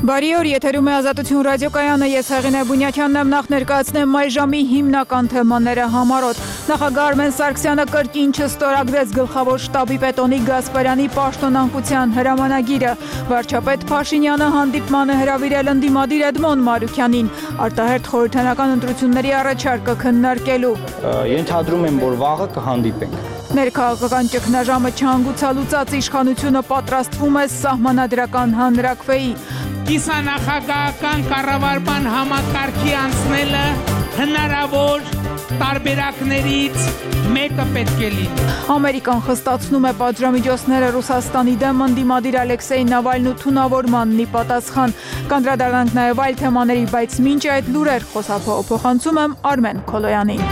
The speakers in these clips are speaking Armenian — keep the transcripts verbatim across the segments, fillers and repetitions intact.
Բարի օր, եթերում է Ազատություն ռադիոկայանը, ես Հեղինե Բունյակյանն եմ, նախ ներկայացնեմ այ ժամի հիմնական թեմաները համառոտ։ Նախագահ Արմեն Սարգսյանը կրկին չստորագրեց գլխավոր շտաբի պետ Օնիկ Գասպարյանի պաշտոնանկության հրամանագիրը։ Վարչապետ Փաշինյանը հանդիպման է հրավիրել ընդդիմադիր Էդմոն Մարուքյանին, արտահերթ խորհրդանական ընտրությունների առաջարկը քննարկելու։ Ենթադրում եմ, որ վաղը կհանդիպենք։ Ներքաղաքական ճգնաժամը չհանգուցալուծած իշխանությունը պատրաստվում է սահմանադրական հանրաքվեի։ Կիսանախագահական կառավարման համակարգի անցնելը հնարավոր տարբերակներից մեկը պետք է լինի։ Ամերիկան խստացնում է պատժամիջոցները Ռուսաստանի դեմ ընդդիմադիր Ալեքսեյ Նավալնու թունավորմանն ի պատասխան։ Կանդրադառնանք նաև այլ թեմաների, բայց մինչ այդ լուրեր խոսափողափոխանցում եմ Արմեն Քոլոյանին։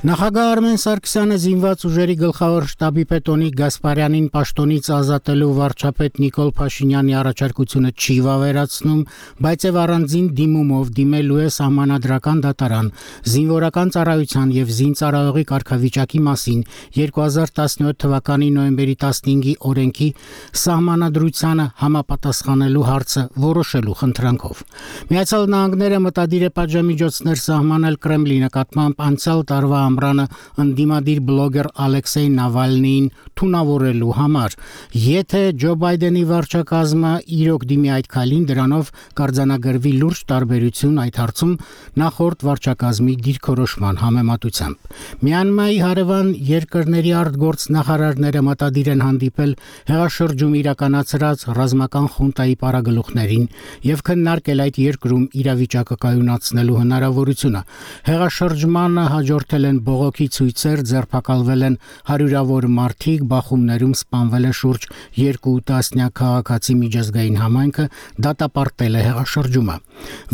Նախագահ Արմեն Սարգսյանը զինված ուժերի գլխավոր շտաբի պետ Օնիկ Գասպարյանին պաշտոնից ազատելու վարչապետ Նիկոլ Փաշինյանի առաջարկությունը չի վավերացնում, բայց եւ առանձին դիմումով դիմելու է սահմանադրական դատարան զինվորական ծառայության եւ զինծառայողի կարգավիճակի մասին երկու հազար տասնյոթ թվականի նոյեմբերի տասնհինգի օրենքի սահմանադրությանը համապատասխանելու հարցը որոշելու խնդրանքով։ Միացյալ Նահանգները մտադիր է պատժամիջոցներ սահմանել Կրեմլի նկատմամբ անցյալ տարվա ամռանը ընդդիմադիր բլոգեր Ալեքսեյ Նավալնիին թունավորելու համար։ Եթե Ջո Բայդենի վարչակազմը իրոք դիմի այդ քայլին, դրանով կարձանագրվի լուրջ տարբերություն այդ հարցում նախորդ վարչակազմի դիրքորոշման համեմատությամբ։ Մյանմայի հարևան երկրների արտգործնախարարները մտադիր են հանդիպել հեղաշրջում իրականացրած ռազմական խունտայի պարագլուխներին եւ քննարկել այդ երկրում իրավիճակը կայունացնելու հնարավորությունը։ Հեղաշրջմանը հաջորդել են բողոքի ցույցեր, ձերբակալվել են հարյուրավոր մարդիկ, բախումներում սպանվել է շուրջ երկու տասնյակ քաղաքացի, միջազգային համայնքը դատապարտել է հեղաշրջումը։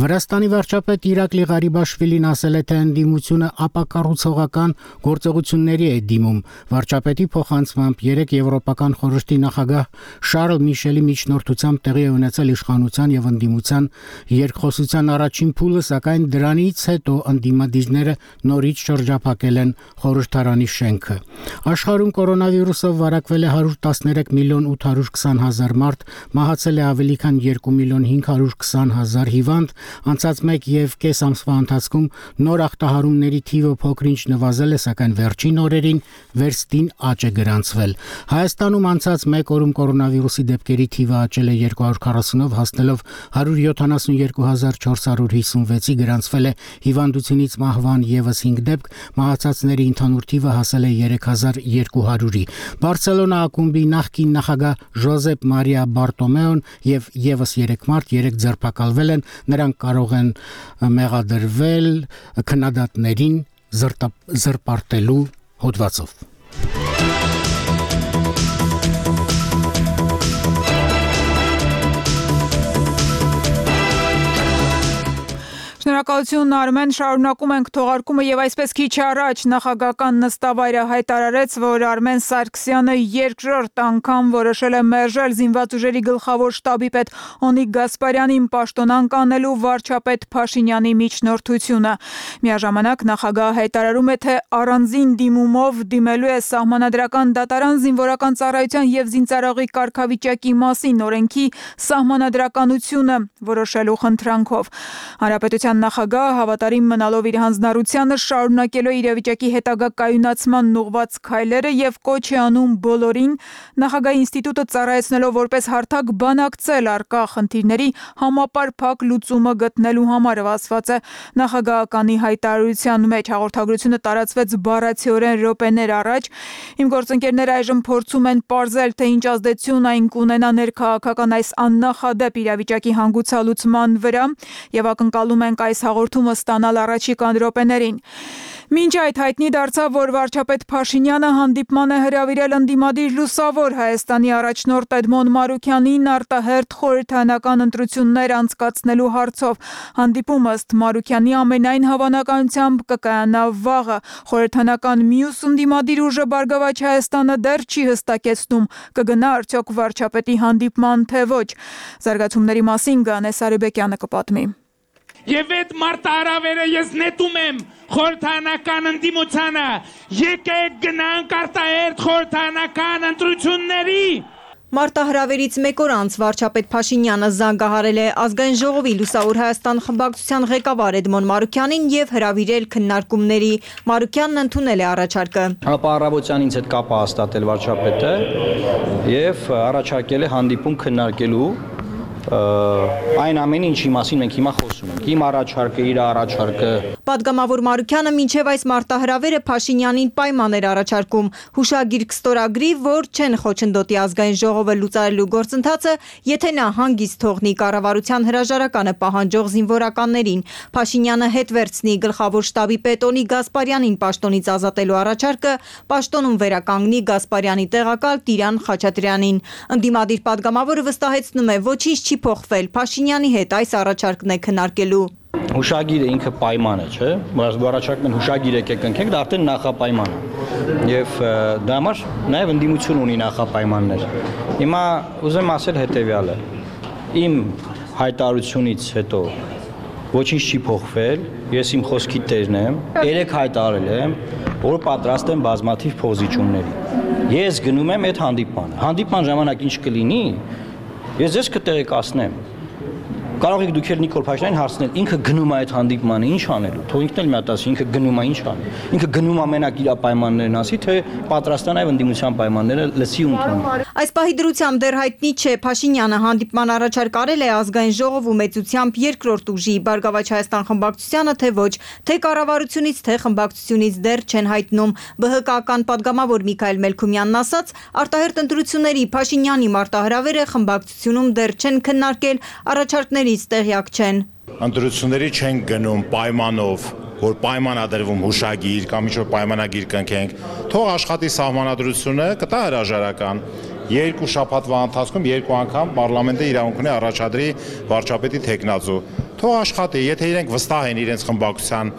Վրաստանի վարչապետ Իրակլի Ղարիբաշվիլին ասել է, թե ընդդիմությունը ապակառուցողական գործողությունների է դիմում։ Վարչապետի փոխանցմամբ երեք եվրոպական խորհրդի նախագահ Շարլ Միշելի միջնորդությամբ տեղի է ունեցել իշխանության եւ ընդդիմության երկխոսության առաջին փուլը, սակայն դրանից հետո ընդդիմադիրները նորից շրջափակել են խորհրդարանի շենքը։ Աշխարհում կորոնավիրուսով վարակվել է հարյուր տասներեք միլիոն ութ հարյուր քսան հազար մարդ, մահացել է ավելի քան երկու միլիոն հինգ հարյուր քսան հազար հիվանդ, անցած մեկ եւ կես ամսվա ընթացքում նոր ախտահարումների թիվը փոքրինչ նվազել է, սակայն վերջին օրերին վերստին աճ է գրանցվել։ Հայաստանում անցած մեկ օրում կորոնավիրուսի դեպքերի թիվը աճել է երկու հարյուր քառասունով, հասնելով հարյուր յոթանասունյոթ հազար չորս հարյուր հիսունվեցի, գրանցվել է հիվանդությունից մահվան եւս հինգ դեպք, մահացածների ընդհանուր թիվը հասել է երեք հազար երկու հարյուրի։ Բարսելոնա ակումբի նախկին նախագահ Ժոզեպ Մարիա Բարտոմեոն եւ եւս երեք մարդ երեք ձերբակալվել են, նրանք կարող են մեղադրվել քննադատներին զրպարտելու հոդվածով։ Շնորհակալություն Արմեն, շարունակում ենք թողարկումը եւ այսպես քիչ առաջ նախագահական նստավայրը հայտարարեց, որ Արմեն Սարգսյանը երկրորդ անգամ որոշել է մերժել զինված ուժերի գլխավոր շտաբի պետ Օնիկ Գասպարյանին պաշտոնանկ անելու վարչապետ Փաշինյանի միջնորդությունը։ Միաժամանակ նախագահը հայտարարում է, թե առանձին դիմումով դիմելու է սահմանադրական դատարան զինվորական ծառայության եւ զինծառայողի կարգավիճակի մասին օրենքի սահմանադրականությունը որոշելու խնդրանքով։ Հանրապետության նախագահը հավատարիմ մնալով իր հանձնառությանը շարունակելու է իրավիճակի հետագա կայունացման ուղղված քայլերը եւ կոչ է անում բոլորին նախագահի ինստիտուտը ծառայեցնելով որպես հարթակ բանակցել առկա խնդիրների համապարփակ լուծումը գտնելու համար, ասված է նախագահականի հայտարարության մեջ։ Հաղորդագրությունը տարածվեց բառացիորեն րոպեներ առաջ։ Իմ գործընկերները այժմ փորձում են պարզել, թե ինչ ազդեցություն այն կունենա ներքաղաքական այս աննախադեպ իրավիճակի հանգուցալուծման վրա եւ ակնկալում ենք այս հաղորդումը ստանալ առաջիկան րոպեներին։ Մինչ այդ հայտնի դարձավ, որ վարչապետ Փաշինյանը հանդիպման է հրավիրել ընդդիմադիր Լուսավոր Հայաստանի առաջնորդ Էդմոն Մարուքյանին արտահերթ խորհրդանական ընտրություններ անցկացնելու հարցով։ Հանդիպումը ըստ Մարուքյանի ամենայն հավանականությամբ կկայանա վաղը։ Խորհրդանական մյուս ընդդիմադիր ուժը Բարգավաճ Հայաստանը դեռ չի հստակեցնում կգնա արդյոք վարչապետի հանդիպման, թե ոչ։ Զարգացումների մասին Գանե Սարիբեկյանը կպատմի։ Եվ այդ մարտահրավերը ես նետում եմ խորհրդանական ընդդիմությանը, եկեք գնանք արտահերթ խորհրդանական ընտրությունների։ Մարտահրավերից մեկ օր անց վարչապետ Փաշինյանը զանգահարել է Ազգային ժողովի Լուսավոր Հայաստան խմբակցության ղեկավար Էդմոն Մարուքյանին եւ հրավիրել քննարկումների։ Մարուքյանն ընդունել է առաջարկը։ Ապա առավոտյան ինձ հետ կապ հաստատել վարչապետը եւ առաջարկել է հանդիպում քննարկելու այն ամենը, ինչի մասին մենք հիմա խոսում ենք։ Իմ առաջարկը, իր առաջարկը։ Պատգամավոր Մարուքյանը մինչև այս մարտահրավերը Փաշինյանին պայման էր առաջարկում հուշագիր կստորագրի, որ չեն խոչընդոտի Ազգային ժողովը լուծարելու գործընթացը, եթե նա հանգիստ թողնի կառավարության հրաժարականը պահանջող զինվորականներին։ Փաշինյանը հետ վերցնի գլխավոր շտաբի պետ Օնիկ Գասպարյանին պաշտոնից ազատելու առաջարկը, պաշտոնում վերականգնի Գասպարյանի տեղակալ Տիրան Խաչատրյանին։ Ընդդիմադիր պատգամավորը վստահեցնում է, ոչինչ չի փոխվել, Փաշինյանի հետ այս առաջարկն է քննարկելու։ Հուշագիրը ինքը պայման է, չէ՞։ Առաջարկն են հուշագիր եկեք ընկենք, դա արդեն նախապայման է։ Եվ դա համար նաև ընդդիմություն ունի նախապայմաններ։ Հիմա ուզեմ ասել հետևյալը. իմ հայտարարությունից հետո ոչինչ չի փոխվել, ես իմ խոսքի տերն եմ, երեք հայտարարել եմ, որ պատրաստ եմ բազմաթիվ փոխզիջումների։ Ես գնում եմ այդ հանդիպմանը։ Հանդիպման ժամանակ ինչ կլինի, ես ձեզ կտեղեկացնեմ։ Կարող եք դուք Նիկոլ Փաշինյանին հարցնել, ինքը գնում է այդ հանդիպմանը, ինչ անելու։ Թող ինքն էլ մի հատ ասի, ինքը գնում է, ինչ անի։ Ինքը գնում է մենակ իր պայմաններն ասի, թե պատրաստ է նաև ընդդիմության պայմանները լսի ու ընդունի։ Այս պահի դրությամբ դեռ հայտնի չէ Փաշինյանը հանդիպման առաջարկ արել է Ազգային ժողովում մեծությամբ երկրորդ ուժի Բարգավաճ Հայաստան խմբակցությանը, թե ոչ, թե կառավարությունից, թե խմբակցությունից դեռ չեն հայտնում։ ԲՀԿ-ական պատգամավոր Միքայել Մելքումյանն ասաց, արտահերթ ընտրությունների Փաշինյանի մարտահրավերը խմբակցությունում դեռ չեն քննարկել, առաջարկների տեղյակ չեն։ Ընտրությունների չեն գնում պայմանով, որ պայմանադրվում հուշագիր կամ ինչ-որ պայմանագիր կնքենք, թող աշխատի սահմանադրությունը, կտա հրաժարական։ Երկու շաբաթվա ընթացքում երկու անգամ պարլամենտը իրավունք ունի առաջադրի վարչապետի թեկնածու։ Թող աշխատի, եթե իրենք վստահ են իրենց խմբակցության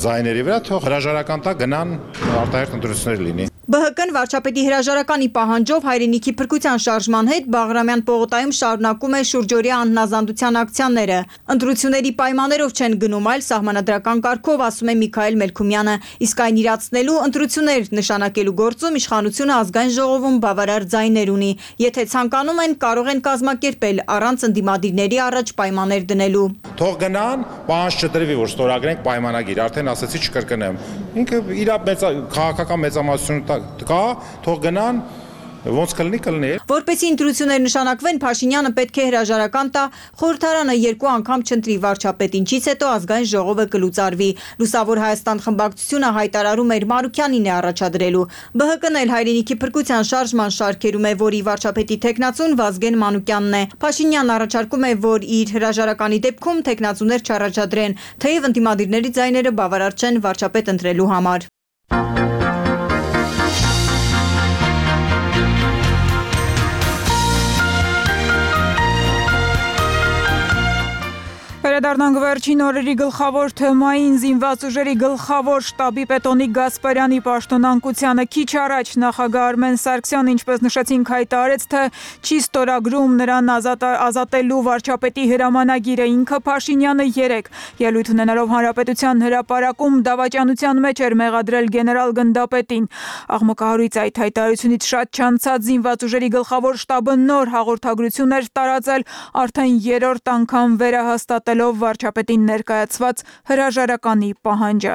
ձայների վրա, թող հրաժարական տա գնան արտահերթ ընտրություններ լինի։ ԲՀԿ-ն վարչապետի հրաժարականի պահանջով հայրենիքի փրկության շարժման հետ Բաղրամյան պողոտայում շարունակում է շուրջօրյա անհնազանդության ակցիաները։ Ընտրությունների պայմաններով չեն գնում, այլ սահմանադրական կարգով, ասում է Միքայել Մելքումյանը, իսկ այն իրացնելու ընտրություններ նշանակելու գործում իշխանությունը Ազգային ժողովում բավարար ձայներ ունի։ Եթե ցանկանում են, կարող են կազմակերպել առանց ընդդիմադիրների առաջ պայմաններ դնելու։ Թող գնան, պահանջ չտրվի, որ ստորագրենք պայմանագիր, արդեն ասացի չկրկնեմ։ Ինքը իր մեծ քաղաքական մեծամասնություն կա, թող գնան, ոնց կլինի կլինի։ Որպեսզի ընտրություններ նշանակվեն, Փաշինյանը պետք է հրաժարական տա, խորհրդարանը երկու անգամ չընտրի վարչապետ, ինչից հետո Ազգային ժողովը կլուծարվի։ Լուսավոր Հայաստան խմբակցությունը հայտարարում էր Մարուքյանին է առաջադրելու։ ԲՀԿ-ն էլ հայրենիքի փրկության շարժման շարքերում է, որի վարչապետի թեկնածուն Վազգեն Մանուկյանն է։ Փաշինյանն առաջարկում է, որ իր հրաժարականի դեպքում թեկնածուներ չառաջադրեն, թեև ընդդիմադիրների ձայները բավարար չեն վարչապետ ընտրելու համար։ Վերադառնանք վերջին օրերի գլխավոր թեմային զինված ուժերի գլխավոր շտաբի պետ Օնիկ Գասպարյանի պաշտոնանկությանը քիչ առաջ նախագահ Արմեն Սարգսյանը, ինչպես նշեցինք, հայտարարեց, թե չի ստորագրում նրան ազատ, ազատելու վարչապետի հրամանագիրը։ Ինքը Փաշինյանը երեկ ելույթ ունենալով Հանրապետության հրապարակում դավաճանության մեջ էր մեղադրել գեներալ գնդապետին։ Աղմկահարույց այդ հայտարարությունից շատ չանցած զինված ուժերի գլխավոր շտաբը նոր հաղորդագրություն էր տարածել, արդեն երրորդ անգամ վերահաստատելով վարչապետին ներկայացված հրաժարականի պահանջը։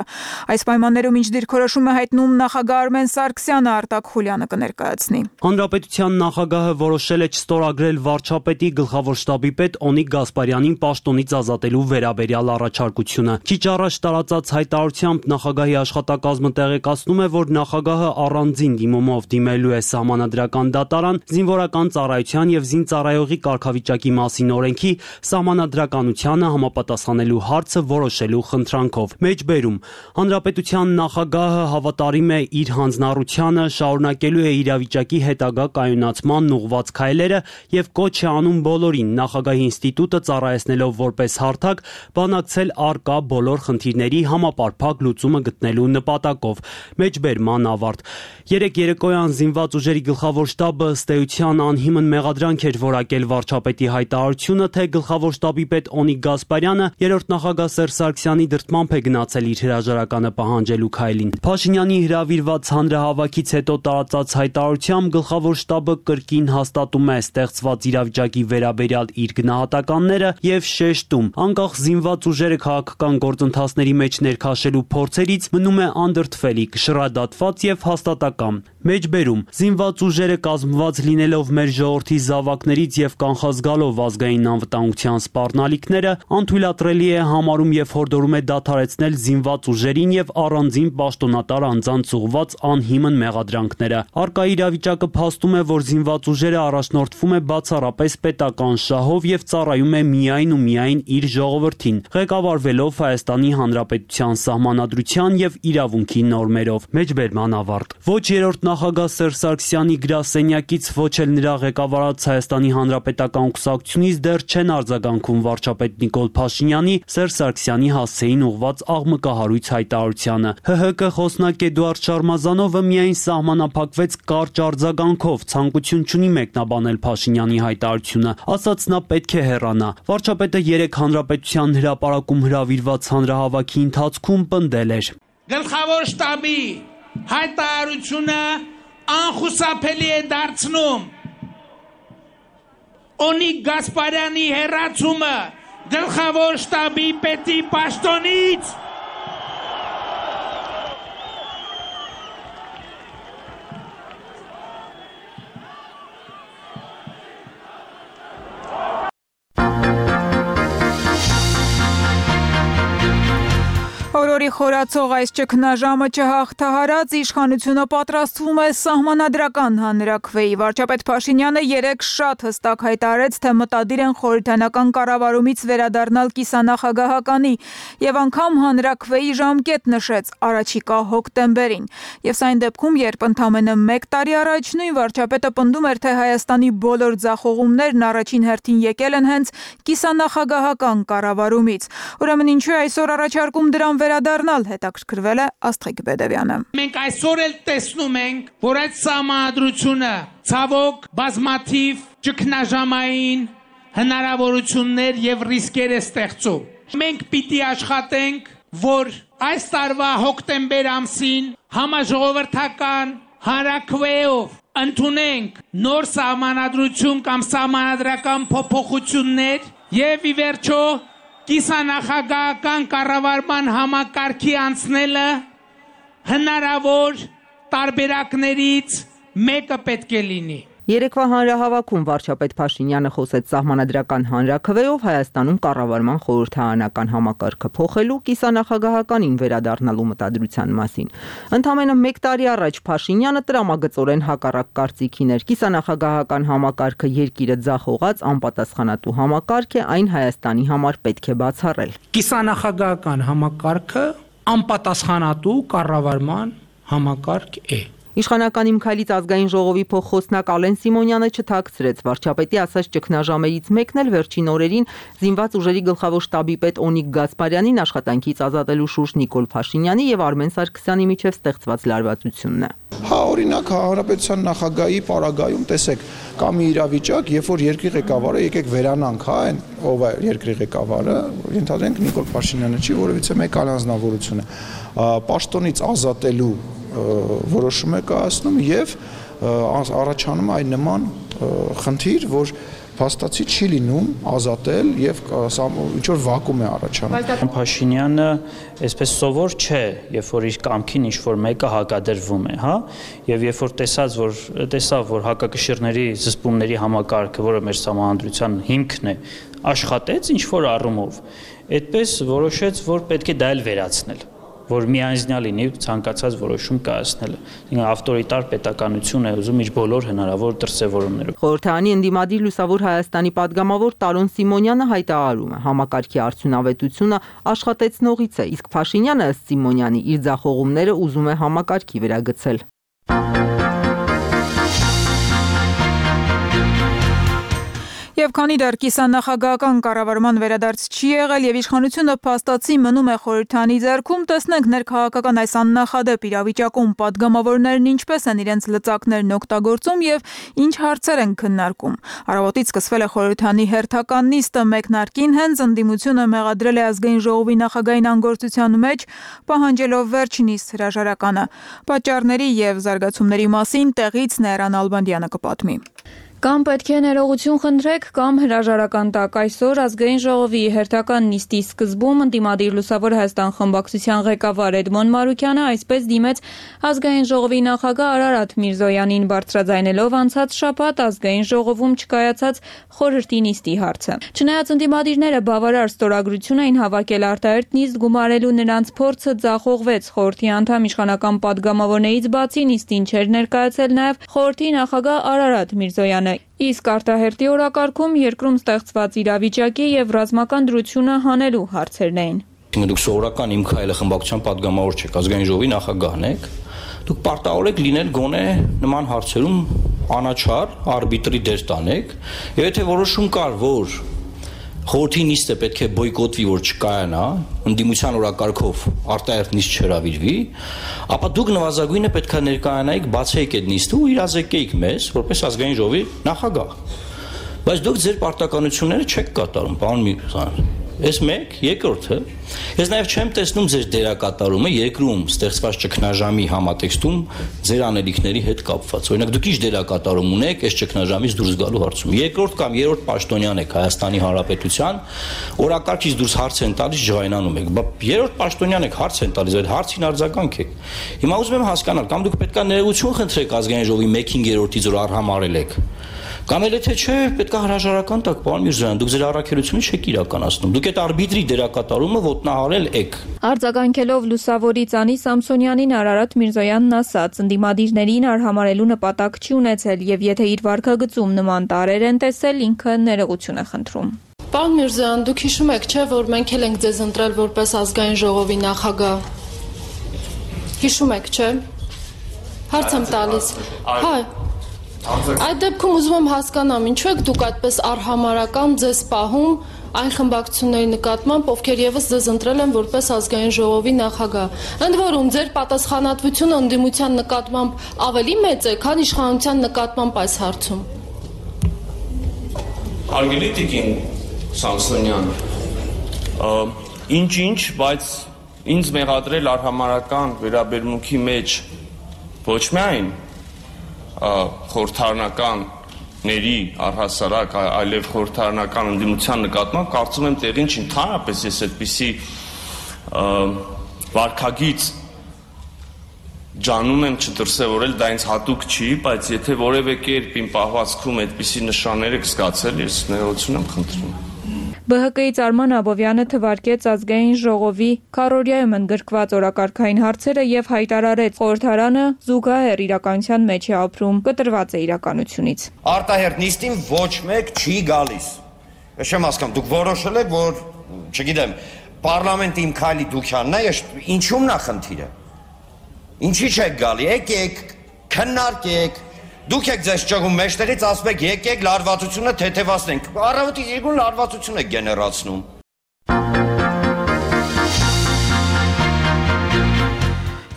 Այս պայմաններում ինչ դիրքորոշում է հայտնում նախագահ Արմեն Սարգսյանը, Արտակ Խուլյանը կներկայացնի։ Հանրապետության նախագահը որոշել է չստորագրել վարչապետի գլխավոր շտաբի պետ Օնիկ Գասպարյանին պաշտոնից ազատելու վերաբերյալ առաջարկությունը։ Քիչ առաջ տարածած հայտարարությամբ նախագահի աշխատակազմը տեղեկացնում է, որ նախագահը առանձին դիմումով դիմելու է Սահմանադրական դատարան զինվորական ծառայության եւ զինծառայողի կարգավիճակի մասին օրենքի սահմանադրականությանը համապատասխանելու հարցը որոշելու խնդրանքով։ Մեջբերում Հանրապետության նախագահը հավատարիմ է իր հանձնառությանը, շարունակելու է իրավիճակի հետագա կայունացման ուղղված քայլերը եւ կոչ է անում բոլորին նախագահի ինստիտուտը ծառայեցնելով որպես հարթակ բանակցել առկա բոլոր խնդիրների համապարփակ լուծումը գտնելու նպատակով։ Մեջբերման ավարտ։ Երեք երեկոյան զինված ուժերի գլխավոր շտաբը ըստ էության անհիմն մեղադրանք էր որակել վարչապետի հայտարարությունը, թե գլխավոր շտաբի պետ Օնիկ Գասպարյանը Գասպարյանը երրորդ նախագահ Սերժ Սարգսյանի դրդմամբ է գնացել իր հրաժարականը պահանջելու քայլին։ Փաշինյանի հրավիրված հանրահավաքից հետո տարածած հայտարարությամբ գլխավոր շտաբը կրկին հաստատում է ստեղծված իրավիճակի վերաբերյալ իր գնահատականները եւ շեշտում, անկախ զինված ուժերը քաղաքական գործընթացների մեջ ներքաշելու փորձերից մնում է անդրդվելիք, շռադատված եւ հաստատակամ։ Մեջբերում զինված ուժերը կազմված լինելով մեր ժողովրդի զավակներից եւ կանխազգալով ազգային անվտանգության սպառնալիքները անթույլատրելի է համարում եւ հորդորում է դադարեցնել զինված ուժերին եւ առանձին պաշտոնատար անձանց ուղղված անհիմն մեղադրանքները։ Արկա իրավիճակը փաստում է, որ զինված ուժերը առաջնորդվում է բացառապես պետական շահով եւ ծառայում է միայն ու միայն իր ժողովրդին, ղեկավարվելով Հայաստանի Հանրապետության սահմանադրության եւ իրավունքի նորմերով։ Մեջբերման ավարտ։ Ոչ երրորդ նախագահ Սերժ Սարգսյանի գրասենյակից, ոչ էլ նրա ղեկավարած Հայաստանի Հանրապետական կուսակցությունից դեռ չեն արձագանքում վարչապետ Նիկոլ Փաշինյանի Սերժ Սարգսյանի հասցեին ուղված աղմկահարույց հայտարարությանը։ ՀՀԿ խոսնակ Էդուարդ Շարմազանովը միայն սահմանափակվեց կարճ արձագանքով, ցանկություն չունի մեկնաբանել Փաշինյանի հայտարարությունը, ասաց նա պետք է հեռանա։ Վարչապետը երեք Հանրապետության հրապարակում հրավիրված հանրահավաքի ընթացքում պնդել էր. Գլխավոր շտաբի հայտարարությունը անխուսափելի է դարձնում Օնիկ Գասպարյանի հեռացումը գլխավոր շտաբի պետի պաշտոնից Օրորի խորացող այս ճգնաժամը չհաղթահարած իշխանությունը պատրաստվում է սահմանադրական հանրաքվեի։ Վարչապետ Փաշինյանը երեկ շատ հստակ հայտարարեց, թե մտադիր են խորհրդանական կառավարումից վերադառնալ կիսանախագահականի եւ անգամ հանրաքվեի ժամկետ նշեց առաջիկա հոկտեմբերին։ Եվ սա այն դեպքում, երբ ընդամենը մեկ տարի առաջ նույն վարչապետը պնդում էր, թե Հայաստանի բոլոր ձախողումներն առաջին հերթին եկել են հենց կիսանախագահական կառավարումից։ Ուրեմն ինչու է այսօր առաջարկում դրան վերադառնալ, հետաքրքրվել է Աստղիկ Բեդևյանը։ Մենք այսօր էլ տեսնում ենք, որ այդ սահմանադրությունը ցավոք բազմաթիվ ճգնաժամային հնարավորություններ եւ ռիսկեր է ստեղծում։ Մենք պիտի աշխատենք, որ այս տարվա հոկտեմբեր ամսին համաժողովրդական հանրաքվեով ընդունենք նոր սահմանադրություն կամ սահմանադրական փոփոխություններ եւ ի վերջո կիսանախագահական կառավարման համակարգի անցնելը հնարավոր տարբերակներից մեկը պետք է լինի։ Երեկվա հանրահավաքում վարչապետ Փաշինյանը խոսեց սահմանադրական հանրաքվեով Հայաստանում կառավարման խորհրդարանական համակարգը փոխելու, կիսանախագահականին վերադառնալու մտադրության մասին։ Ընդամենը մեկ տարի առաջ Փաշինյանը տրամագծորեն հակառակ կարծիքին էր։ Կիսանախագահական համակարգը երկիրը ձախողած անպատասխանատու համակարգ է, այն Հայաստանի համար պետք է բացառել։ Կիսանախագահական համակարգը անպատասխանատու կառավարման համակարգ է։ Իշխանական իմ քայլից ազգային ժողովի փոխխոսնակ Ալեն Սիմոնյանը չթաքցրեց վարչապետի ասած ճգնաժամերից մեկն էլ վերջին օրերին զինված ուժերի գլխավոր շտաբի պետ Օնիկ Գասպարյանին աշխատանքից ազատելու շուրջ Նիկոլ Փաշինյանի եւ Արմեն Սարգսյանի միջև ստեղծված լարվածությունն է։ Հա, օրինակ հանրապետության նախագահի պարագայում տեսեք, կա մի իրավիճակ, երբ որ երկրի ղեկավարը եկեք վերանանք, հա, այն ով է երկրի ղեկավարը, ենթադրենք Նիկոլ Փաշինյանը չի, որովհետեւ մեկ առանձնավորություն է։ Պաշտոնից ազատելու որոշում է կայացնում եւ առաջանում այն նման խնդիր, որ փաստացի չի լինում ազատել եւ ինչ որ վակուում է առաջանում։ Փաշինյանը այսպես սովոր չէ, երբ որ իր կամքին ինչ որ մեկը հակադրվում է, հա, եւ երբ որ տեսած որ տեսավ որ հակակշիռների զսպումների համակարգը, որը մեր սահմանադրության հիմքն է, աշխատեց ինչ որ առումով, այդպես որոշեց, որ պետք է դա էլ վերացնել, որ միանձնյա լինի ցանկացած որոշում կայացնելը։ Ինքը ավտորիտար պետականություն է ուզում իր բոլոր հնարավոր դրսևորումներով։ Խորհրդարանի ընդդիմադիր Լուսավոր Հայաստանի падգամավոր Տարոն Սիմոնյանը հայտարարում է, համակարգի արդյունավետությունը աշխատեցնողից է, իսկ Փաշինյանը ըստ Սիմոնյանի իր ձախողումները ուզում է համակարգի վերագցել։ Եվ քանի դեռ կիսանախագահական կառավարման վերադարձ չի եղել եւ իշխանությունը փաստացի մնում է խորհրդանի ձեռքում, տեսնենք ներքաղաքական այս աննախադեպ իրավիճակում падգամավորներն ինչպես են իրենց լծակներն օգտագործում եւ ինչ հարցեր են քննարկում։ Առավոտից սկսվել է խորհրդանի հերթական նիստը, մեկնարկին հենց ընդդիմությունը մեղադրել է ազգային ժողովի նախագահային անգործության մեջ, պահանջելով վերջ նիստ հրաժարականը։ Պատճառների եւ զարգացումների մասին տեղից Նեյրան Ալբանդյանը կպատմի։ Կամ պետք է ներողություն խնդրեք, կամ հրաժարական տակ։ Այսօր ազգային ժողովի հերթական նիստի սկզբում ընդդիմադիր Լուսավոր Հայաստան խմբակցության ղեկավար Էդմոն Մարուկյանը այսպես դիմեց ազգային ժողովի նախագահ Արարատ Միրզոյանին, բարձրաձայնելով անցած շաբաթ ազգային ժողովում չկայացած խորհրդի նիստի հարցը։ Չնայած ընդդիմադիրները բավարար ստորագրություն էին հավաքել արտահերթ նիստ գումարելու, նրանց փորձը ձախողվեց։ Խորհրդի անդամ իշխանական падգամավորներից բացի նիստին չէր ներկայացել նաև խորհրդի նախագահ Արարատ Միրզոյանը։ Իսկ արտահերթի օրակարգում երկրում ստեղծված իրավիճակի եւ ռազմական դրությունը հանելու հարցերն էին։ Դուք սովորական իմ քայլը խմբակցության падգամավոր չեք, ազգային ժողովի նախագահն եք։ Դուք պարտավոր եք լինել գոնե նման հարցերում անաչառ, արբիտրի դեր տանեք, եւ եթե որոշում կար, որ խորհրդի նիստը պետք է բոյկոտվի, որ չկայանա, ընդդիմության օրակարգով արտահերթ նիստ չհրավիրվի, ապա դուք նվազագույնը պետք է ներկայանայիք, բացեիք այդ նիստը ու իրազեկեիք մեզ, որպես ազգային ժողովի նախագահ։ Բայց դուք ձեր պարտականությունները չեք կատարում, պարոն Միրզոյան։ Այս մեկ, երկրորդը, ես նաև չեմ տեսնում ձեր դերակատարումը երկրում ստեղծված ճգնաժամի համատեքստում ձեր անելիքների հետ կապված։ Օրինակ դուք ինչ դերակատարում ունեք այս ճգնաժամից դուրս գալու հարցում։ Երկրորդ կամ երրորդ պաշտոնյան եք Հայաստանի Հանրապետության, օրակարգից դուրս հարց են տալիս, ջղայնանում եք։ Բա երրորդ պաշտոնյան եք, հարց են տալիս, այդ հարցին արձագանք եք։ Հիմա ուզում եմ հասկանալ, կամ դուք պետք է ներողություն խնդրեք ազգային ժողովի մեկին երրորդից, որ արհամարել եք։ Կամ էլ եթե չէ, պետք է հրաժարական տակ, պարոն Միրզոյան, դուք ձեր առաքելությունը չեք իրականացնում։ Դուք այդ արբիտրի դերակատարումը ոտնահարել եք։ Արձագանքելով Լուսավորի Ծանի Սամսոնյանին Արարատ Միրզոյանն ասաց, ընդդիմադիրներին արհամարելու նպատակ չի ունեցել եւ եթե իր վարքագծում նման տարրեր են տեսել, ինքը ներողություն է խնդրում։ Պարոն Միրզոյան, դուք հիշում եք, չէ, որ մենք էլ ենք ձեզ ընտրել որպես ազգային ժողովի նախագահ։ Հիշում եք, չէ։ Հարց եմ տալիս։ Հայ Այդ դեպքում ուզում եմ հասկանամ, ինչու եք դուք այդպես արհամարական ձեզ պահում այն խմբակցությունների նկատմամբ, ովքեր եւս ձեզ ընտրել են որպես ազգային ժողովի նախագահ։ Ընդ որում, ձեր պատասխանատվությունը ընդդիմության նկատմամբ ավելի մեծ է, քան իշխանության նկատմամբ այս հարցում։ Հարգելի տիկին Սամսոնյան, ինչ-ինչ, բայց ինձ մեղադրել արհամարական վերաբերմունքի մեջ ոչ միայն խորհրդարանականների առհասարակ, այլև խորհրդարանական ընդդիմության նկատմամբ կարծում եմ տեղին չի, ընդհանրապես ես այդպիսի վարքագիծ ջանում եմ չդրսևորել, դա ինձ հատուկ չի, բայց եթե որևէ կերպ իմ պահվածքում այդպիսի նշաններ եք զգացել, ես ներողություն եմ խնդրում։ Բը հը կից Արման Աբովյանը թվարկեց ազգային ժողովի քառօրյայում ընդգրկված օրակարգային հարցերը եւ հայտարարեց խորհրդարանը զուգահեռ իրականության մեջ է ապրում, կտրված է իրականությունից։ Արտահերթ նիստին ոչ մեկ չի գալիս։ Ես չեմ հասկանում, դուք որոշել եք, որ, չգիտեմ, պարլամենտի իմ քայլի դուքյանն է, ինչու՞մն է խնդիրը։ Ինչի՞ չեք գալի, եկեք, քննարկեք։ Դուք եք ձեզ ճղում մեջտեղից, ասում եք եկեք լարվածությունը թեթևացնենք։ Առավոտից երկուն լարվածություն եք գեներացնում։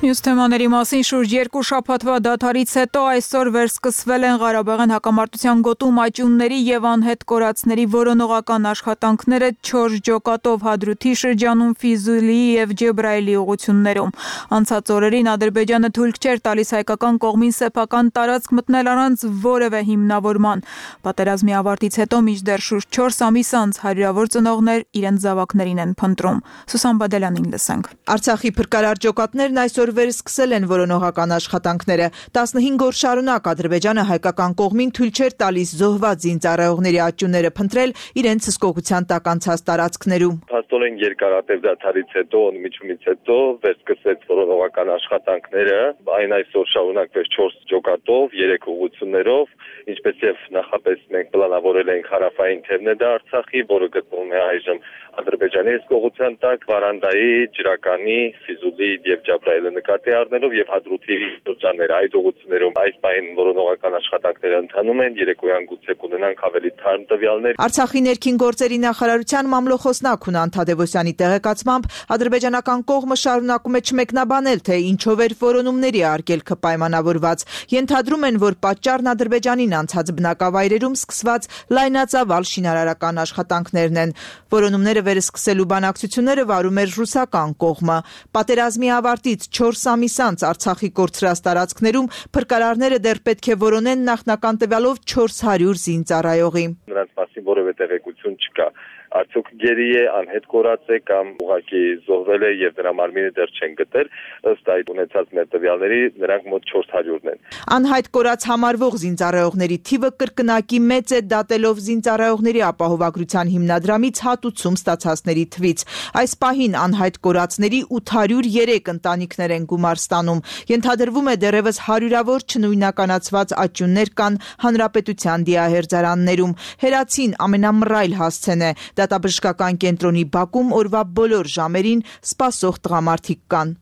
Մյուս թեմաների մասին շուրջ երկու շաբաթվա դադարից հետո այսօր վերսկսվել են Ղարաբաղյան հակամարտության գոտում աճյունների եւ անհետ կորածների որոնողական աշխատանքները չորս ջոկատով Հադրութի շրջանում, Ֆիզուլիի եւ Ջեբրայելի ուղություններում։ Անցած օրերին Ադրբեջանը թույլ չէր տալիս հայկական կողմին սեփական տարածք մտնել առանց որևէ հիմնավորման։ Պատերազմի ավարտից հետո մինչդեռ շուրջ չորս ամիս անց հարյուրավոր ծնողներ իրենց զավակներին են փնտրում։ Սուսան Բադելյանին լսենք։ Արցախի փրկարար ջոկատներն այսօր վերսկսել են որոնողական աշխատանքները։ տասնհինգ օր շարունակ Ադրբեջանը հայկական կողմին թույլ չէր տալիս զոհված զինծառայողների աճյունները փնտրել իրենց հսկողության տակ անցած տարածքներում։ Փաստորեն երկարատև դադարից հետո, ընդմիջումից հետո վերսկսեց որոնողական աշխատանքները, այն այսօր շարունակվեց չորս ջոկատով, երեք ուղղություններով, ինչպես եւ նախապես մենք պլանավորել ենք հարավային թևնեդա Արցախի, որը գտնվում է այժմ Ադրբեջանի հսկողության տակ, Վարանդայի, Ջրականի, Ֆիզուլի եւ Ջաբրայելի նկատի առնելով եւ Հադրութի շրջանները այդ ուղղություններում այս պահին որոնողական աշխատանքները ընթանում են, երեկոյան գուցե կունենանք ավելի թարմ տվյալներ։ Արցախի ներքին գործերի նախարարության մամլոխոսնակ Հունան Թադևոսյանի տեղեկացմամբ ադրբեջանական կողմը շարունակում է չմեկնաբանել, թե ինչով էր որոնումների արգելքը պայմանավորված։ Ենթադրում են, որ պատճառն Ադրբեջանին անցած բնակավայրերում սկսված լայնածավալ շինարարական աշխատանքներն են։ Որոնումները վերսկսելու բանակցությունները վարում էր ռուսական կողմը։ Պատերազմի ավարտից չորս ամիս անց Արցախի կորցրած տարածքներում փրկարարները դեռ պետք է որոնեն նախնական տվյալով չորս հարյուր զինծառայողի։ Նրանց մասին որևէ տեղեկություն չկա։ Արդյոք գերի է, անհետ կորած է կամ ուղղակի զոհվել է եւ նրա մարմինը դեռ չեն գտել, ըստ այդ ունեցած մեր տվյալների նրանք մոտ չորս հարյուրն են։ Անհայտ կորած համարվող զինծառայողների թիվը կրկնակի մեծ է, դատելով զինծառայողների ապահովագրության հիմնադրամից հատուցում ստացածների թվից։ Այս պահին անհայտ կորածների ութ հարյուր երեք ընտանիքներ են գումար ստանում։ Ենթադրվում է դեռևս հարյուրավոր չնույնականացված աճյուններ կան հանրապետության դիահերձարաններում։ Հերացին ամենամռայլ հասցեն է։ Դատաբժշկական կենտրոնի բակում օրվա բոլոր ժամերին սպասող տղամարդիկ կան։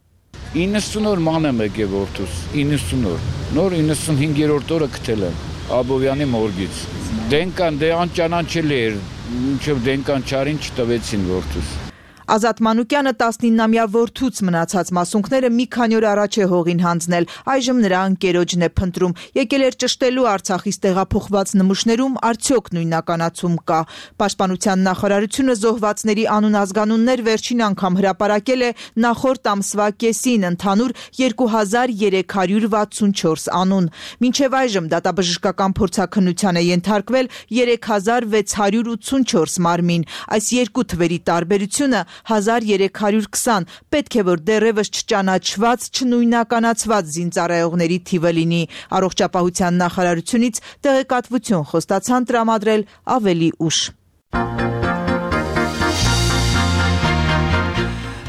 իննսուն օր ման եմ եկել որդուս, իննսուն օր։ Նոր իննսունհինգերորդ օրը գտել եմ Աբովյանի մորգից։ Դենկան դե անճանաչելի էր, մինչև դենկան չարին չտվեցին որդուս։ Ազատ Մանուկյանը տասնինամյա որդուց մնացած մասունքները մի քանի օր առաջ է հողին հանձնել, այժմ նրա ընկերոջն է փնտրում։ Եկել էր ճշտելու Արցախից տեղափոխված նմուշներում արդյոք նույնականացում կա։ Պաշտպանության նախարարությունը զոհվածների անուն-ազգանուններ վերջին անգամ հրապարակել է նախորդ ամսվա կեսին, ընդհանուր երկու հազար երեք հարյուր վաթսունչորս անուն։ Մինչև այժմ դատաբժշկական փորձաքննության է ենթարկվել երեք հազար վեց հարյուր ութսունչորս մարմին։ Այս երկու թվերի տարբերությունը հազար երեք հարյուր քսան, պետք է որ դեռևս չճանաչված, չնույնականացված զինծառայողների թիվը լինի։ Առողջապահության նախարարությունից տեղեկատվություն խոստացան տրամադրել ավելի ուշ։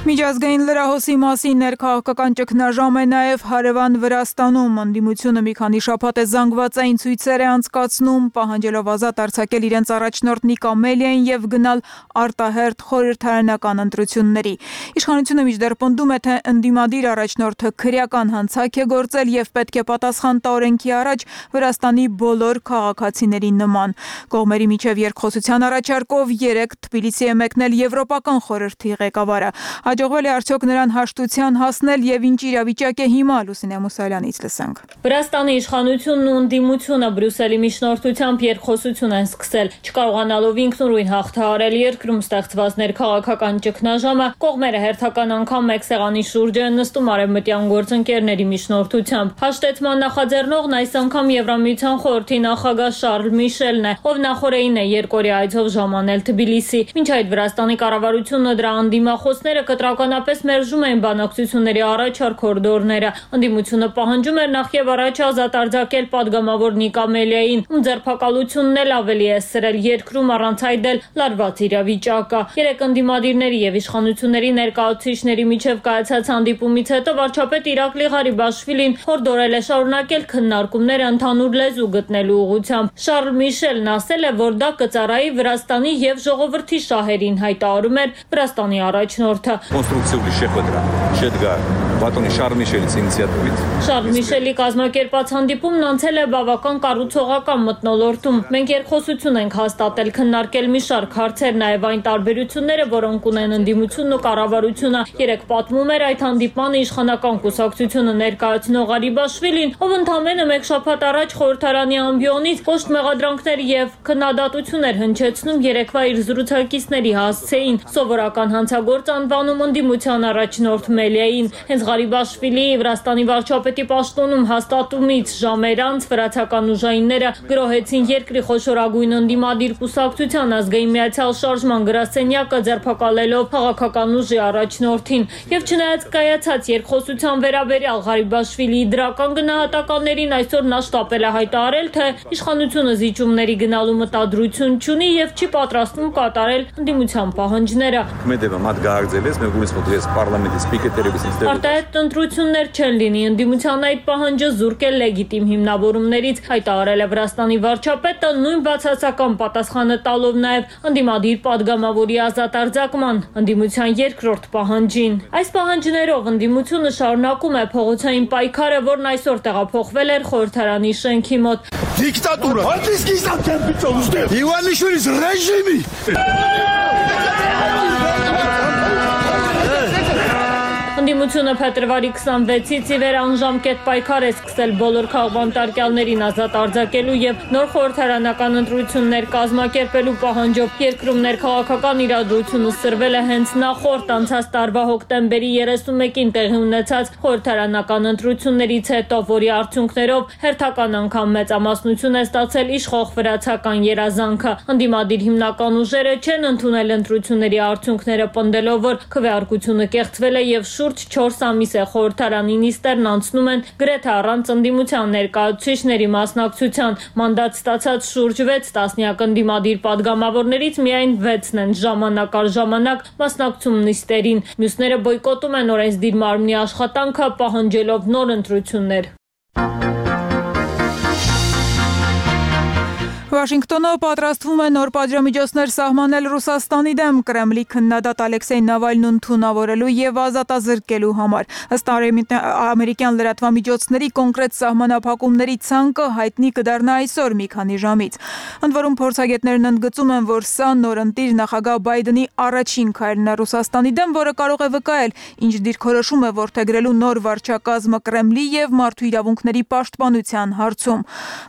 Միջազգային լրահոսի մասին ներքաղաքական ճգնաժամ է նաև հարևան Վրաստանում։ Ընդդիմությունը մի քանի շաբաթ է զանգվածային ցույցեր է անցկացնում, պահանջելով ազատ արձակել իրենց առաջնորդ Նիկա Մելիային եւ գնալ արտահերթ խորհրդարանական ընտրությունների։ Իշխանությունը մինչդեռ պնդում է, թե ընդդիմադիր առաջնորդը քրեական հանցակ է գործել եւ պետք է պատասխան տա օրենքի առաջ Վրաստանի բոլոր քաղաքացիների նման։ Կողմերի միջև երկխոսության առաջարկով երեք Թբիլիսի է մեկնել Եվրոպական խորհրդի ղեկավարը։ Հաջողվել է արդյոք նրան հաշտության հասնել եւ ինչ իրավիճակ է հիմա, Լուսինե Մուսալյանից լսենք։ Վրաստանի իշխանությունն ու ընդդիմությունը Բրյուսելի միջնորդությամբ երկխոսություն են սկսել, չկարողանալով ինքնուրույն հաղթահարել երկրում ստեղծված ներքաղաքական ճգնաժամը, կողմերը հերթական անգամ մեկ սեղանի շուրջ են նստում արևմտյան գործընկերների միջնորդությամբ։ Հաշտեցման նախաձեռնողն այս անգամ Եվրամիության խորհրդի նախագահ Շարլ Միշելն է, ով նախորդին է երկօրյա այցով ժամանել Թբիլիսի։ Մինչ այդ Վրաստանի կառավարությունը դրա անդիմախոսները կտրականապես մերժում էին բանակցությունների առաջարկ կորիդորները։ Ընդդիմությունը պահանջում էր նախ եւ առաջ ազատ արձակել падգամավոր Նիկա Մելիային, ում ձերբակալությունն էլ ավելի է սրել երկրում առանց այդել լարված իրավիճակը։ Երեք ընդդիմադիրների եւ իշխանությունների ներկայացուցիչների միջև կայացած հանդիպումից հետո վարչապետ Իրակլի Ղարիբաշվիլին հորդորել է շարունակել քննարկումները ընդհանուր լեզու գտնելու ուղղությամբ։ Շարլ Միշելն ասել է, որ դա կծառայի Վրաստանի եւ ժողովրդի շահերին, հայտարարում էր Վրաստանի առաջնորդը։ Կոնստրուկցիոն շեփոդրա շեդգար բատոնի Շարլ Միշելից ինիցիատիվից Շարլ Միշելի կազմակերպած հանդիպումն անցել է բավական կառուցողական մթնոլորտում։ Մենք երկխոսություն ենք հաստատել, քննարկել մի շարք հարցեր, նաև այն տարբերությունները, որոնք ունեն ընդդիմությունն ու կառավարությունը։ Երեք պատմում էր այդ հանդիպմանը իշխանական կուսակցությունը ներկայացնող Ղարիբաշվիլին, ով ընդամենը մեկ շաբաթ առաջ խորհրդարանի ամբիոնից կոշտ մեղադրանքներ եւ քննադատություններ հնչեցնում երեկվա իր զրուցակիցների հասցեին սովորական հանցագործ անվանում ընդդիմության առաջնորդ Մելիային։ Հենց Ղարիբաշվիլիի Վրաստանի վարչապետի պաշտոնում հաստատումից ժամեր անց վրացական ուժայինները գրոհեցին երկրի խոշորագույն ընդդիմադիր կուսակցության ազգային միացյալ շարժման գրասենյակը, ձերբակալելով քաղաքական ուժի առաջնորդին։ Եվ չնայած կայացած երկխոսության վերաբերյալ Ղարիբաշվիլիի դրական գնահատականներին, այսօր նա շտապել է հայտարարել, թե իշխանությունը զիջումների գնալու մտադրություն չունի եւ չի պատրաստվում կատարել ընդդիմության պահանջները։ Մեդևը մատ գարձել ես, մեր գույս մոտ ես պարլամենտի սպիկերներից ինստիտուտ արտահայտ ընտրություններ չեն լինի, ընդդիմության այդ պահանջը զուրկ է լեգիտիմ հիմնավորումներից, հայտարարել է Վրաստանի վարչապետը, նույն բացասական պատասխանը տալով նաև ընդդիմադիր падգամավորի ազատ արձակման, ընդդիմության երկրորդ պահանջին։ Այս պահանջներով ընդդիմությունը շարունակում է փողոցային պայքարը, որն այսօր տեղափոխվել էր խորհրդարանի շենքի մոտ։ Դիկտատուրա, հատիսկի սանտեմպիցոն ուստեղ, Իվանիշვილիս ռեժիմի։ Ընդդիմությունը փետրվարի քսանվեցից ի վեր անժամկետ պայքար է սկսել բոլոր քաղբանտարկյալներին ազատ արձակելու եւ նոր խորհրդարանական ընտրություններ կազմակերպելու պահանջով երկրում ներքաղաքական իրադրությունը սրվել է հենց նախորդ անցած տարվա հոկտեմբերի երեսունմեկին տեղի ունեցած խորհրդարանական ընտրություններից հետո, որի արդյունքներով հերթական անգամ մեծամասնություն է ստացել իշխող վրացական երազանքը։ Ընդդիմադիր հիմնական ուժերը չեն ընդունել ընտրությունների արդյունքները, պնդելով, որ քվեարկությունը կեղծվել է եւ շուրջ չորս ամիս է խորհրդարանի նիստերն անցնում են գրեթե առանց ընդդիմության ներկայացուցիչների մասնակցության։ Մանդատ ստացած շուրջ վեց տասնյակ ընդդիմադիր падգամավորներից միայն վեցն են ժամանակ առ ժամանակ մասնակցում նիստերին։ Մյուսները բոյկոտում են օրենսդիր մարմնի աշխատանքը, պահանջելով նոր ընտրություններ։ Վաշինգտոնը պատրաստվում է նոր պատժամիջոցներ սահմանել Ռուսաստանի դեմ Կրեմլի քննադատ Ալեքսեյ Նավալնուն թունավորելու եւ ազատազրկելու համար։ Ըստ ամերիկյան լրատվամիջոցների կոնկրետ սահմանափակումների ցանկը հայտնի կդառնա այսօր մի քանի ժամից։ Ընդ որում փորձագետներն ընդգծում են, որ սա նորընտիր նախագահ Բայդենի առաջին քայլն է Ռուսաստանի դեմ, որը կարող է վկայել ինչ դիրքորոշում է որդեգրելու նոր վարչակազմը Կրեմլի եւ մարդու իրավունքների պաշտպանության հարցում։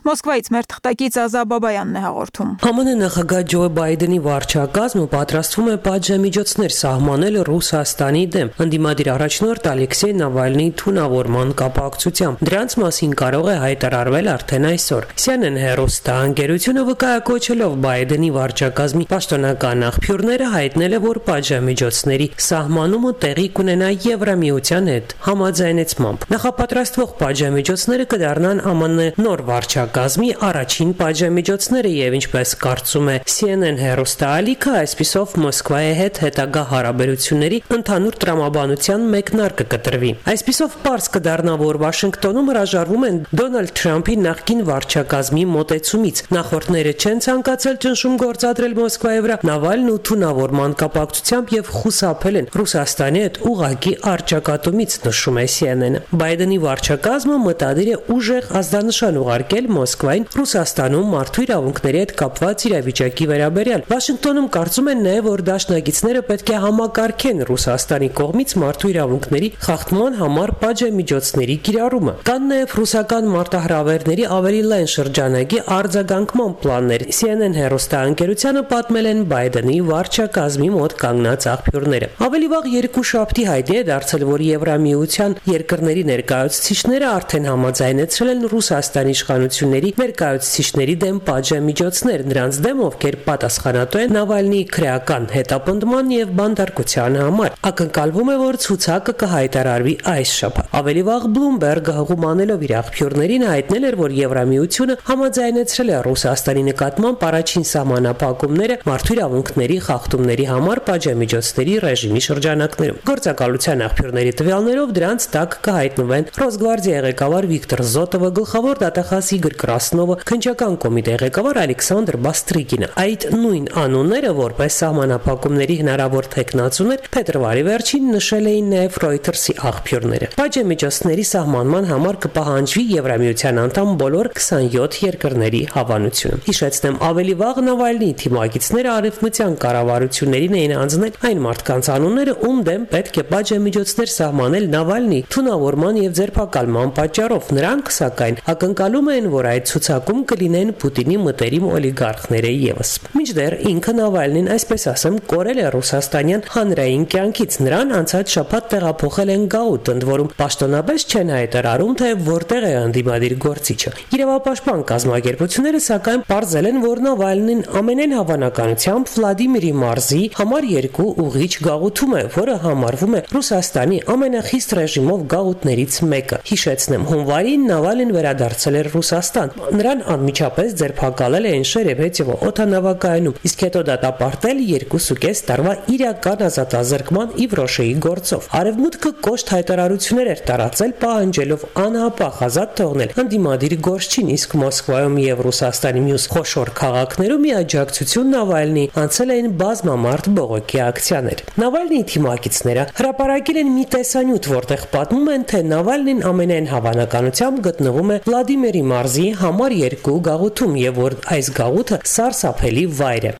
Մոսկվայից մեր թղթակից Ազա Բաբայանն է հաղորդում։ ԱՄՆ նախագահ Ջո Բայդենի վարչակազմը պատրաստվում է պատժամիջոցներ սահմանել Ռուսաստանի դեմ ընդդիմադիր առաջնորդ Ալեքսեյ Նավալնիի թունավորման կապակցությամբ։ Դրանց մասին կարող է հայտարարվել արդեն այսօր։ C N N հեռուստաընկերությունը վկայակոչելով Բայդենի վարչակազմի պաշտոնական աղբյուրները հայտնել է, որ պատժամիջոցների սահմանումը տեղի կունենա Եվրամիության հետ համաձայնեցմամբ։ Նախապատրաստվող պատժամիջոցները կդառնան ԱՄՆ նոր վարչակազմի առաջին պատժամիջոցները եւ ինչպես կարծում է C N N հեռուստաալիքը, այսպիսով Մոսկվայի հետ հետագա հարաբերությունների ընդհանուր տրամաբանության մեկնարկը կտրվի։ Այսպիսով պարզ կդառնա, որ Վաշինգտոնում հրաժարվում են Դոնալդ Թրամփի նախկին վարչակազմի մոտեցումից։ Նախորդները չեն ցանկացել ճնշում գործադրել Մոսկվայի վրա Նավալնու թունավորման կապակցությամբ եւ խուսափել են Ռուսաստանի հետ ուղղակի առճակատումից, նշում է C N N-ը։ Բայդենի վարչակազմը մտադիր է ուժեղ ազդանշան ուղարկել Մոսկվային Ռուսաստանում մարդու իրավունքների հետ կապված իրավիճակի վերաբերյալ։ Վաշինգտոնում կարծում են նաև, որ դաշնակիցները պետք է համակարգեն Ռուսաստանի կողմից մարդու իրավունքների խախտման համար պատժամիջոցների կիրառումը։ Կան նաև ռուսական մարտահրավերների ավելի լայն շրջանակի արձագանքման պլաններ։ C N N հեռուստաընկերությանը պատմել են Բայդենի վարչակազմի մոտ կանգնած աղբյուրները։ Ավելի վաղ երկուշաբթի հայտնի է դարձել, որ Եվրամիության երկրների ներկայացուցիչները արդեն համաձայնեցրել են Ռուսաստանի իշխանությունների ներկայացուցիչների դեմ պատժամիջոցներ, նրանց դեմ, ովքեր պատասխանատու են Նավալնիի քրեական հետապնդման եւ բանտարկության համար։ Ակնկալվում է, որ ցուցակը կհայտարարվի այս շաբաթ։ Ավելի վաղ Bloomberg-ը հղումանելով իր աղբյուրներին հայտնել էր, որ Եվրամիությունը համաձայնեցրել է Ռուսաստանի նկատմամբ առաջին սահմանափակումները մարդու իրավունքների խախտումների համար պատժամիջոցների ռեժիմի շրջանակներում։ Գործակալության աղբյուրների տվյալներով դրանց տակ կհայտնվեն Ռոսգվարդիայի ղեկավար Վիկտոր Զոտովը, գլխավոր դատախազ Իգոր Կրասնովը, քննչական կոմիտեի ղեկավար Ալեքսանդր Բաստրիկինը։ Այդ նույն անունները, որպես սահմանափակումների հնարավոր թեկնածուներ, փետրվարի վերջին նշել էին նաև Reuters-ի աղբյուրները։ Պատժամիջոցների սահմանման համար կպահանջվի Եվրամիության անդամ բոլոր քսանյոթ երկրների հավանությունը։ Հիշեցնեմ, ավելի վաղ Նավալնիի թիմակիցները արևմտյան կառավարություններին էին անձնել այն մարդկանց անունները, ում դեմ պետք է պատժամիջոցներ սահմանել Նավալնիի թունավորման եւ ձերբակալման պատճառով։ Նրանք, սակայն, ակնկալում են, որ այդ ցուցակում կլինեն Պուտինի մտերիմ օլիգարխները եւս։ Մինչդեռ ինքը Նավալնին, այսպես ասեմ, կորել է ռուսաստանյան հանրային կյանքից։ Նրան անցած շաբաթ տեղափոխել են գաուտ, ընդ որում պաշտոնապես չեն հայտարարում, թե որտեղ է ընդդիմադիր գործիչը։ Իրավապաշտպան կազմակերպությունները սակայն պարզել են, որ Նավալնին ամենայն հավանականությամբ Վլադիմիրի մարզի համար երկու ուղիչ գաղութում է, որը համարվում է Ռուսաստանի ամենախիստ ռեժիմով գաղութներից մեկը։ Հիշեցնեմ, հունվարին Նավալին վերադարձել էր Ռուսաստան։ Նրան անմիջապես ձերբակալել նախակալել էին Շերեբեցիվո օդանավակայանում, իսկ հետո դատապարտել երկուսուկես տարվա իրական ազատազրկման ի Վրոշեի գործով։ Արևմուտքը կոշտ հայտարարություններ էր տարածել, պահանջելով անհապաղ ազատ թողնել ընդդիմադիր Գորշչին, իսկ Մոսկվայում եւ Ռուսաստանի մյուս խոշոր քաղաքներում աջակցություն Նավալնի անցել էին բազմամարդ բողոքի ակցիաներ։ Նավալնիի թիմակիցները հրապարակել են մի տեսանյութ, որտեղ պատմում են, թե Նավալնին ամենայն հավանականությամբ գտնվում է Վլադիմիրի մարզի համար երկու գաղութում եւ որ այս գաղութը սարսափելի վայր է։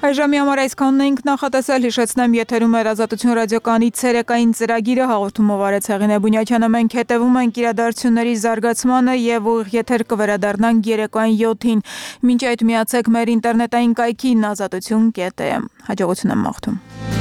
Այժմի համար այսքանն էինք նախատեսել, հիշեցնեմ եթերում էր Ազատություն ռադիոկայանի ցերեկային ծրագիրը, հաղորդումով Արեց Հեղինե Բունյակյանը, մենք հետևում ենք իրադարձությունների զարգացմանը եւ ուղիղ եթեր կվերադառնանք երեկոյան յոթին, մինչ այդ միացեք մեր ինտերնետային կայքին ազատություն կետ է, հաջողություն եմ մաղթում։